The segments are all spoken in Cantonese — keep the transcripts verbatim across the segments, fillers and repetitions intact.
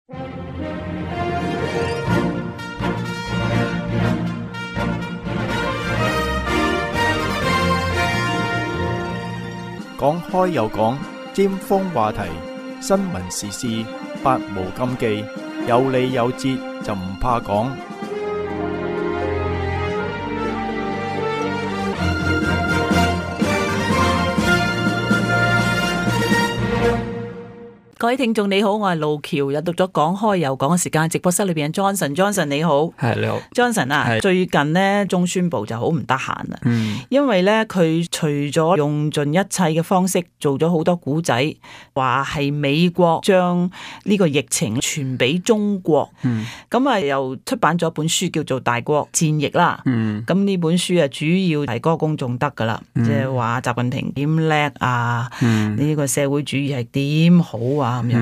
講開又講，尖鋒話題，新聞時事，百無禁忌，有理有節就唔怕講。各位聽眾你好，我係路橋，又到咗講開又講嘅時間。直播室裏邊 Johnson，Johnson 你好，係你好 ，Johnson 啊，最近呢，中宣部就好唔得閒啦，嗯、因為咧佢除咗用盡一切嘅方式做咗好多古仔，話係美國將呢個疫情傳俾中國，咁啊、嗯、又出版咗本書叫做《大國戰役》啦，咁呢、嗯、本書啊主要係歌功頌德噶啦，即係話習近平點叻啊，呢、嗯、個社會主義係點好啊。咁樣，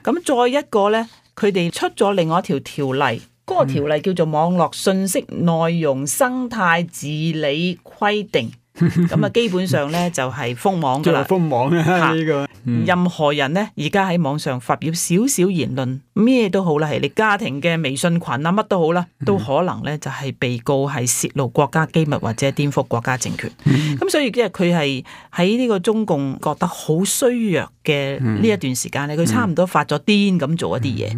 咁、嗯、再一個咧，佢哋出咗另外一條條例，嗰、那個條例叫做《網絡信息內容生態治理規定》。咁啊，基本上咧就係封網噶啦，封網啊呢個。任何人咧，而家喺網上發表少少言論，咩都好啦，係你家庭嘅微信群啊，乜都好啦，都可能咧就係被告係泄露國家機密或者顛覆國家政權。咁、嗯、所以即係佢係喺呢個中共覺得好衰弱嘅呢一段時間咧，佢差唔多發咗癲咁做一啲嘢。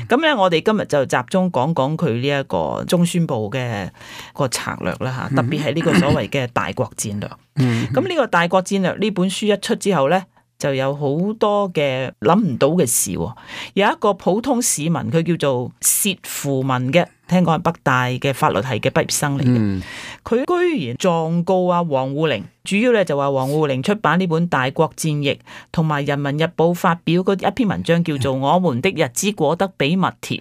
咁咧、嗯，我哋今日就集中講講佢呢一個中宣部嘅個策略啦吓，特別係呢個所謂嘅大國戰略。咁呢、嗯、個大國戰略呢本書一出之後咧，就有好多嘅諗唔到嘅事。有一個普通市民，佢叫做薛富文嘅，聽講係北大嘅法律系嘅畢業生嚟嘅，佢、嗯、居然狀告啊王滬寧。主要咧就話王滬寧出版呢本《大國戰役》，同埋《人民日報》發表嗰一篇文章叫做《我們的日子過得比蜜甜》，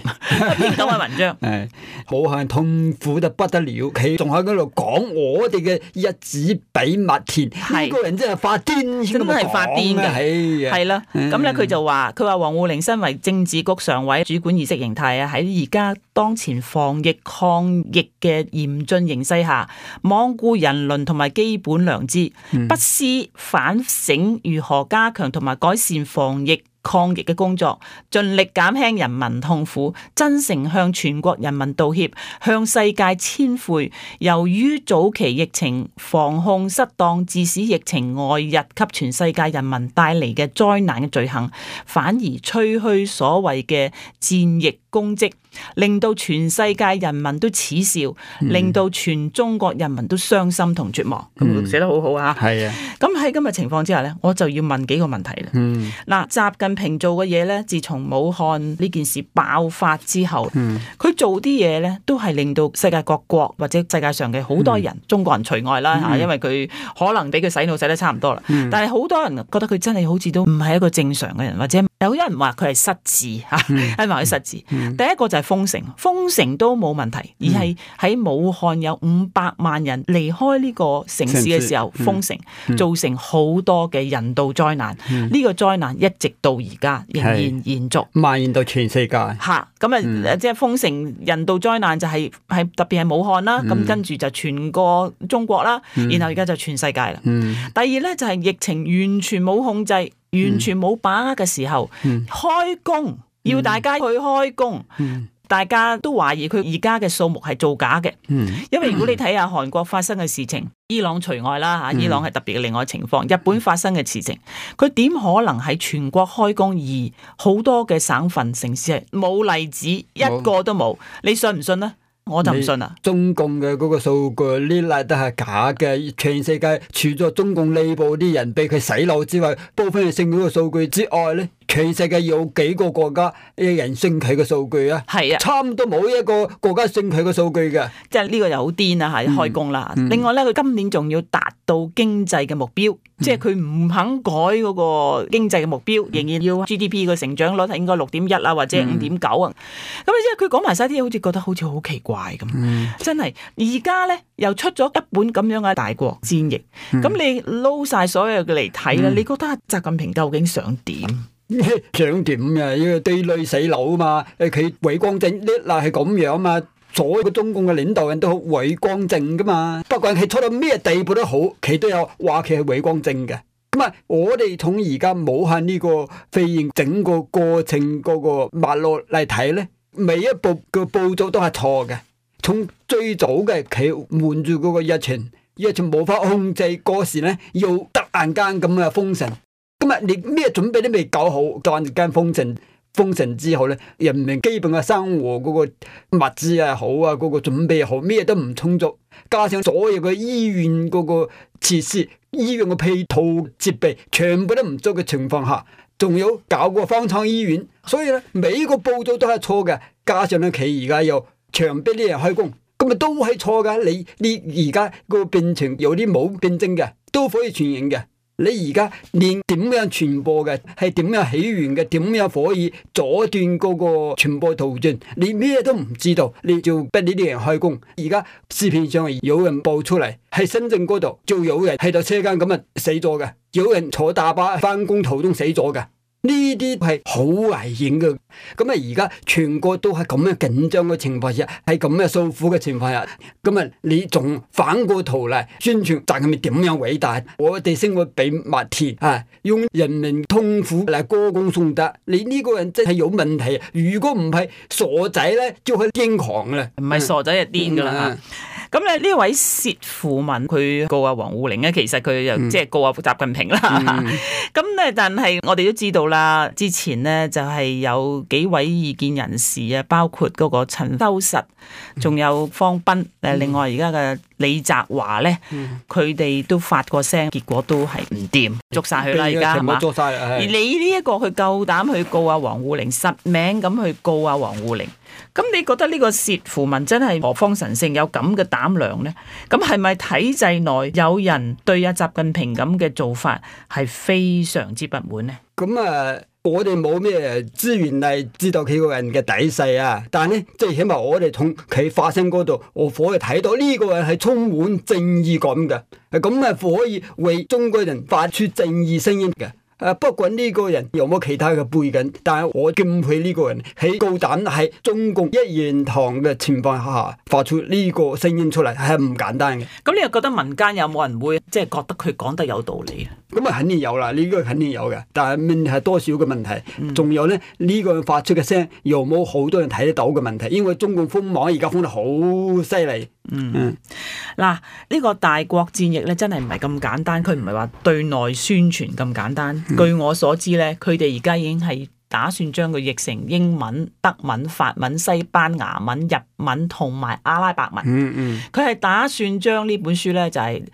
一篇咁嘅文章。係好係痛苦得不得了，佢仲喺嗰度講我哋嘅日子比蜜甜，呢個人真係發癲，真係發癲嘅，係啦。咁咧佢就話，佢話王滬寧身為政治局常委，主管意識形態啊，喺而家當前防疫抗疫嘅嚴峻形勢下，罔顧人倫同埋基本良知，不思反省如何加強同埋改善防疫抗疫嘅工作，盡力減輕人民痛苦，真誠向全國人民道歉，向世界簽悔。由於早期疫情防控失當，致使疫情外溢給全世界人民帶嚟嘅災難嘅罪行，反而吹噓所謂嘅戰役功績，令到全世界人民都恥笑，令到全中國人民都傷心同絕望。咁、嗯、寫得好好啊！係啊！咁喺今日情況之下呢，我就要問幾個問題啦。嗱、嗯，習近平做嘅嘢呢，自從武漢呢件事爆發之後，佢、嗯、做啲嘢呢，都係令到世界各國或者世界上嘅好多人，嗯、中國人除外啦吓，嗯、因為佢可能俾佢洗腦洗得差唔多啦。嗯、但係好多人覺得佢真係好似都唔係一個正常嘅人，或者有人話佢係失智吓，係咪佢失智？嗯、第一個就係封城，封城都冇問題，而係喺武漢有五百萬人離開呢個城市嘅時候封城，嗯、造成好多嘅人道災難。呢、嗯、個災難一直到而家仍然延續，蔓延到全世界。吓，咁啊，嗯、即係封城人道災難就係、是、係特別係武漢啦，咁、嗯、跟住就全個中國啦，嗯、然後而家就全世界啦。嗯、第二咧就係疫情完全冇控制，完全冇把握嘅時候，嗯、開工要大家去開工。嗯大家都懷疑佢而家嘅數目係造假嘅，嗯、因為如果你睇下韓國發生嘅事情，伊朗除外啦嚇，伊朗係特別嘅另外情況。日本發生嘅事情，佢點可能喺全國開工，而好多嘅省份城市係冇例子，一個都冇？你信唔信呢？我就唔信啦。中共嘅嗰個數據呢例都係假嘅，全世界除咗中共內部啲人俾佢洗腦之外，部分係信嗰個數據之外咧。全世界有幾個國家嘅人信佢嘅數據啊？係啊，差唔多冇一個國家信佢嘅數據嘅。即係呢個又好癲啊！嚇，開工啦。嗯、另外咧，佢今年仲要達到經濟嘅目標，嗯、即係佢唔肯改嗰個經濟嘅目標，仍然要 G D P 嘅成長率係應該六點一啊，或者五點九啊。咁即係佢講埋晒啲嘢，好似覺得好似好奇怪咁。嗯、真係而家咧又出咗一本咁樣嘅大國戰役，咁、嗯、你撈晒所有嘅嚟睇啦，嗯、你覺得習近平究竟想點？想點啊？呢個對內洗腦啊嘛，誒佢偉光正呢嗱係咁樣啊嘛，所有嘅中共嘅領導人都好偉光正噶嘛，不管佢錯到咩地步都好，佢都有話佢係偉光正嘅。咁啊，我哋從而家武漢呢個肺炎整個過程嗰個脈絡嚟睇咧，每一步嘅步驟都係錯嘅。從最早嘅佢瞞住嗰個疫情，疫情冇法控制嗰時咧，要突然間咁嘅封城。咁啊，你咩準備都未搞好，突然間封城。封城之後咧，人民基本嘅生活嗰個物資啊好啊，嗰個準備好，咩都唔充足，加上所有嘅醫院嗰個設施、醫院嘅配套設備全部都唔足嘅情況下，仲有搞個方艙醫院，所以咧每個步驟都係錯嘅。加上咧佢而家又強迫啲人開工，咁咪都係錯噶。你你而家個病情有啲冇病徵嘅都可以傳染嘅。你而家連點樣傳播嘅，係點樣起源嘅，點樣可以阻斷嗰個傳播途徑，你咩都唔知道，你就逼呢啲人開工。而家視頻上有人報出嚟，喺深圳嗰度就有人喺度車間咁啊死咗嘅，有人坐大巴翻工途中死咗嘅。呢啲係好危險嘅，咁啊而家全國都係咁樣緊張嘅情況下，係咁樣訴苦嘅情況下，咁啊你仲反過頭嚟宣傳習近平點樣偉大，我哋生活比麥田啊，用人民痛苦嚟歌功頌德，你呢個人真係有問題。如果唔係傻仔咧，就係癲狂啦，唔係傻仔就癲噶啦吓。咁咧呢位薛富文佢告阿王滬寧咧，其實佢又即係告阿習近平啦。咁咧、嗯，但係我哋都知道啦，之前咧就係有幾位異見人士啊，包括嗰個陳修實，仲有方斌，誒、嗯，另外而家嘅李澤華咧，佢哋、嗯、都發過聲，結果都係唔掂，捉晒佢啦而家係嘛？捉晒。而你呢一個佢夠膽去告阿王滬寧，實名咁去告阿王滬寧。咁你覺得呢個薛富文真係何方神聖，有咁嘅膽量呢？咁係咪體制內有人對阿習近平咁嘅做法係非常之不滿呢？咁啊，我哋冇咩資源嚟知道佢個人嘅底細啊，但係咧，即係起碼我哋從佢發聲嗰度，我可以睇到呢個人係充滿正義感嘅，咁啊可以為中國人發出正義聲音嘅。誒，不管呢個人有冇其他嘅背景，但係我敬佩呢個人喺高膽喺中共一言堂嘅情況下發出呢個聲音出嚟，係唔簡單嘅。咁你又覺得民間有冇人會即係覺得佢講得有道理啊？咁啊，肯定有啦，呢個肯定有嘅。但係問題係多少嘅問題，仲有咧呢個人發出嘅聲，有冇好多人睇得到嘅問題？因為中共封網而家封得好犀利。嗯嗯，嗱，呢個大國戰役咧真係唔係咁簡單，佢唔係話對內宣傳咁簡單。嗯、據我所知咧，佢哋而家已經係打算將佢譯成英文、德文、法文、西班牙文、日文同埋阿拉伯文。嗯嗯，佢係打算將呢本書咧就係、是。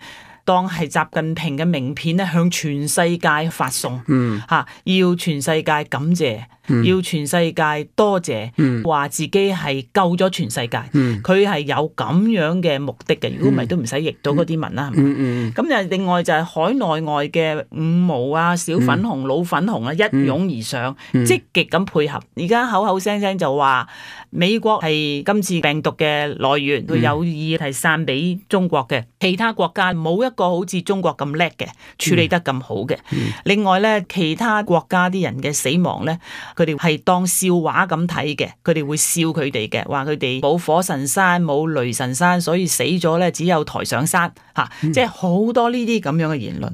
當係習近平嘅名片咧，向全世界發送，嚇、嗯啊、要全世界感謝，嗯、要全世界多謝，話、嗯、自己係救咗全世界，佢係、嗯、有咁樣嘅目的嘅。如果唔係都唔使譯到嗰啲文啦。咁就另外就係海內外嘅五毛啊、小粉紅、嗯、老粉紅啊，一擁而上，嗯、積極咁配合。而家口口聲聲就話美國係今次病毒嘅來源，佢有意係散俾中國嘅，其他國家冇一個好似中國咁叻嘅處理得咁好嘅。嗯、另外咧，其他國家啲人嘅死亡咧，佢哋係當笑話咁睇嘅，佢哋會笑佢哋嘅，話佢哋冇火神山冇雷神山，所以死咗咧只有抬上山吓，嗯、即係好多呢啲咁樣嘅言論。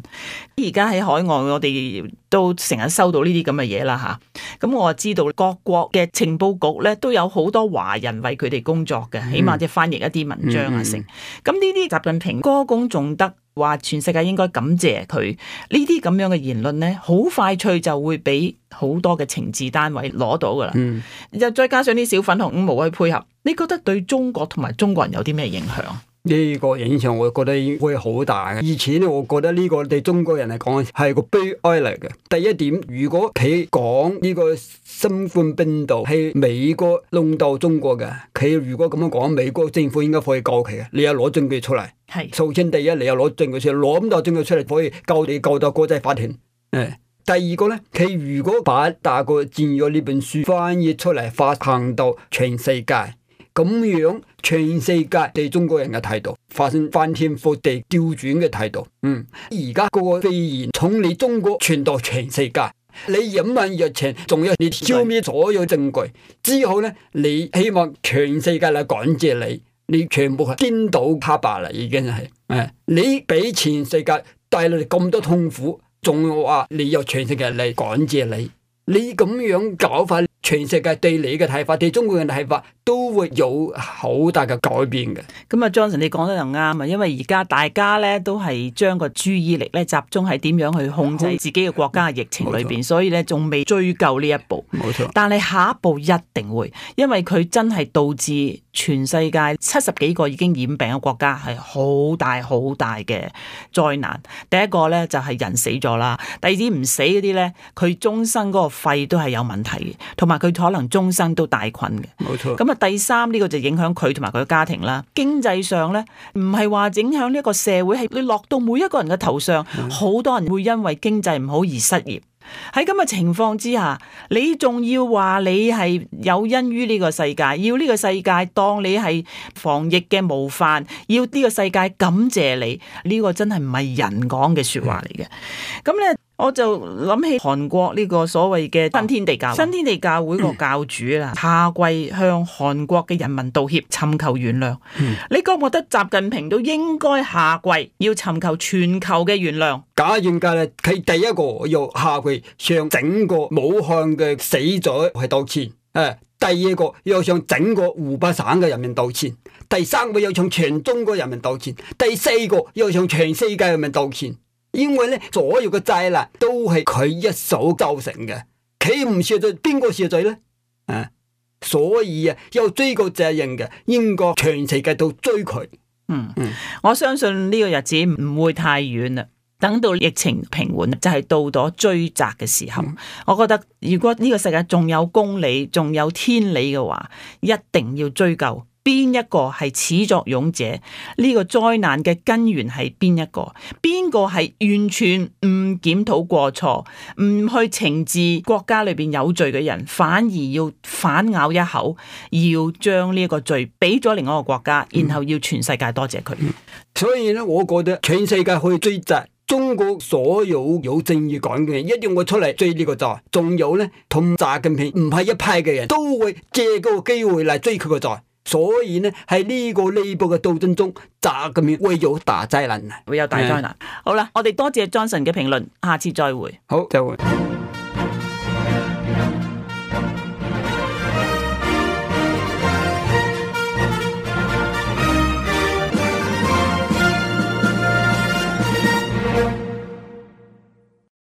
而家喺海外，我哋都成日收到呢啲咁嘅嘢啦吓。咁我知道各國嘅情報局咧都有好多華人為佢哋工作嘅，起碼即係翻譯一啲文章啊成。咁呢啲習近平歌功頌德，話全世界應該感謝佢，呢啲咁樣嘅言論咧，好快脆就會俾好多嘅情治單位攞到噶啦。嗯，又再加上啲小粉紅五毛去配合，你覺得對中國同埋中國人有啲咩影響？呢個影響我覺得會好大嘅。以前咧，我覺得呢個對中國人嚟講係個悲哀嚟嘅。第一點，如果佢講呢個新冠病毒係美國弄到中國嘅，佢如果咁樣講，美國政府應該可以告佢嘅。你有攞證據出嚟，係首先第一，你有攞證據出嚟，攞咁多證據出嚟可以告你告到國際法庭。誒，第二個咧，佢如果把大國戰約呢本書翻譯出嚟，發行到全世界。咁樣全世界對中國人嘅態度發生翻天覆地調轉嘅態度。嗯，而家嗰個肺炎從你中國傳到全世界，你隱瞞疫情，仲有你消滅所有證據之後咧，你希望全世界嚟感謝你，你全部係顛倒黑白啦，已經係誒，你俾全世界帶嚟咁多痛苦，仲話你有全世界嚟感謝你，你咁樣搞法，全世界對你嘅睇法，對中國人嘅睇法都會有好大嘅改變嘅。咁啊 Johnson 你講得又啱啊，因為而家大家咧都係將個注意力咧集中喺點樣去控制自己嘅國家嘅疫情裏邊，所以咧仲未追究呢一步。冇錯，但係下一步一定會，因為佢真係導致全世界七十幾個已經染病嘅國家係好大好大嘅災難。第一個咧就係人死咗啦，第二啲唔死嗰啲咧，佢終生嗰個肺都係有問題嘅，同埋佢可能終生都帶菌嘅。冇錯。咁啊，第三呢個就影響佢同埋佢嘅家庭啦。經濟上咧，唔係話影響呢一個社會，係你落到每一個人嘅頭上，好、嗯、多人會因為經濟唔好而失業。喺咁嘅情況之下，你仲要話你係有恩於呢個世界，要呢個世界當你係防疫嘅模範，要呢個世界感謝你，呢、這個真係唔係人講嘅說話嚟嘅。咁咧。我就諗起韓國呢個所謂嘅新天地教會，新天地教會個教主啦，下跪向韓國嘅人民道歉，尋求原諒。嗯、你覺唔覺得習近平都應該下跪，要尋求全球嘅原諒？賈永介咧，佢第一個要下跪向整個武漢嘅死者係道歉，誒，第二個要向整個湖北省嘅人民道歉，第三個要向全中國人民道歉，第四個要向全世界人民道歉。因為咧，所有嘅災難都係佢一手造成嘅，佢唔赦罪，邊個赦罪咧？啊，所以啊，有追究責任嘅，應該全世界都追佢。嗯嗯，我相信呢個日子唔會太遠啦。等到疫情平緩，就係、是、到咗追責嘅時候。嗯、我覺得如果呢個世界仲有公理，仲有天理嘅話，一定要追究。邊一個係始作俑者？呢、這個災難嘅根源係邊一個？邊個係完全唔檢討過錯，唔去懲治國家裏邊有罪嘅人，反而要反咬一口，要將呢一個罪俾咗另外一個國家，然後要全世界多謝佢。所以咧，我覺得全世界可以追責，中國所有有正義感嘅人一定會出嚟追呢個責。仲有咧，同習近平唔係一派嘅人都會借嗰個機會嚟追佢個責。所以呢，喺呢個呢部嘅鬥爭中，習近平會有大災難啊！會有大災難。嗯、好啦，我哋多謝 Johnson 嘅評論，下次再會。好，再會。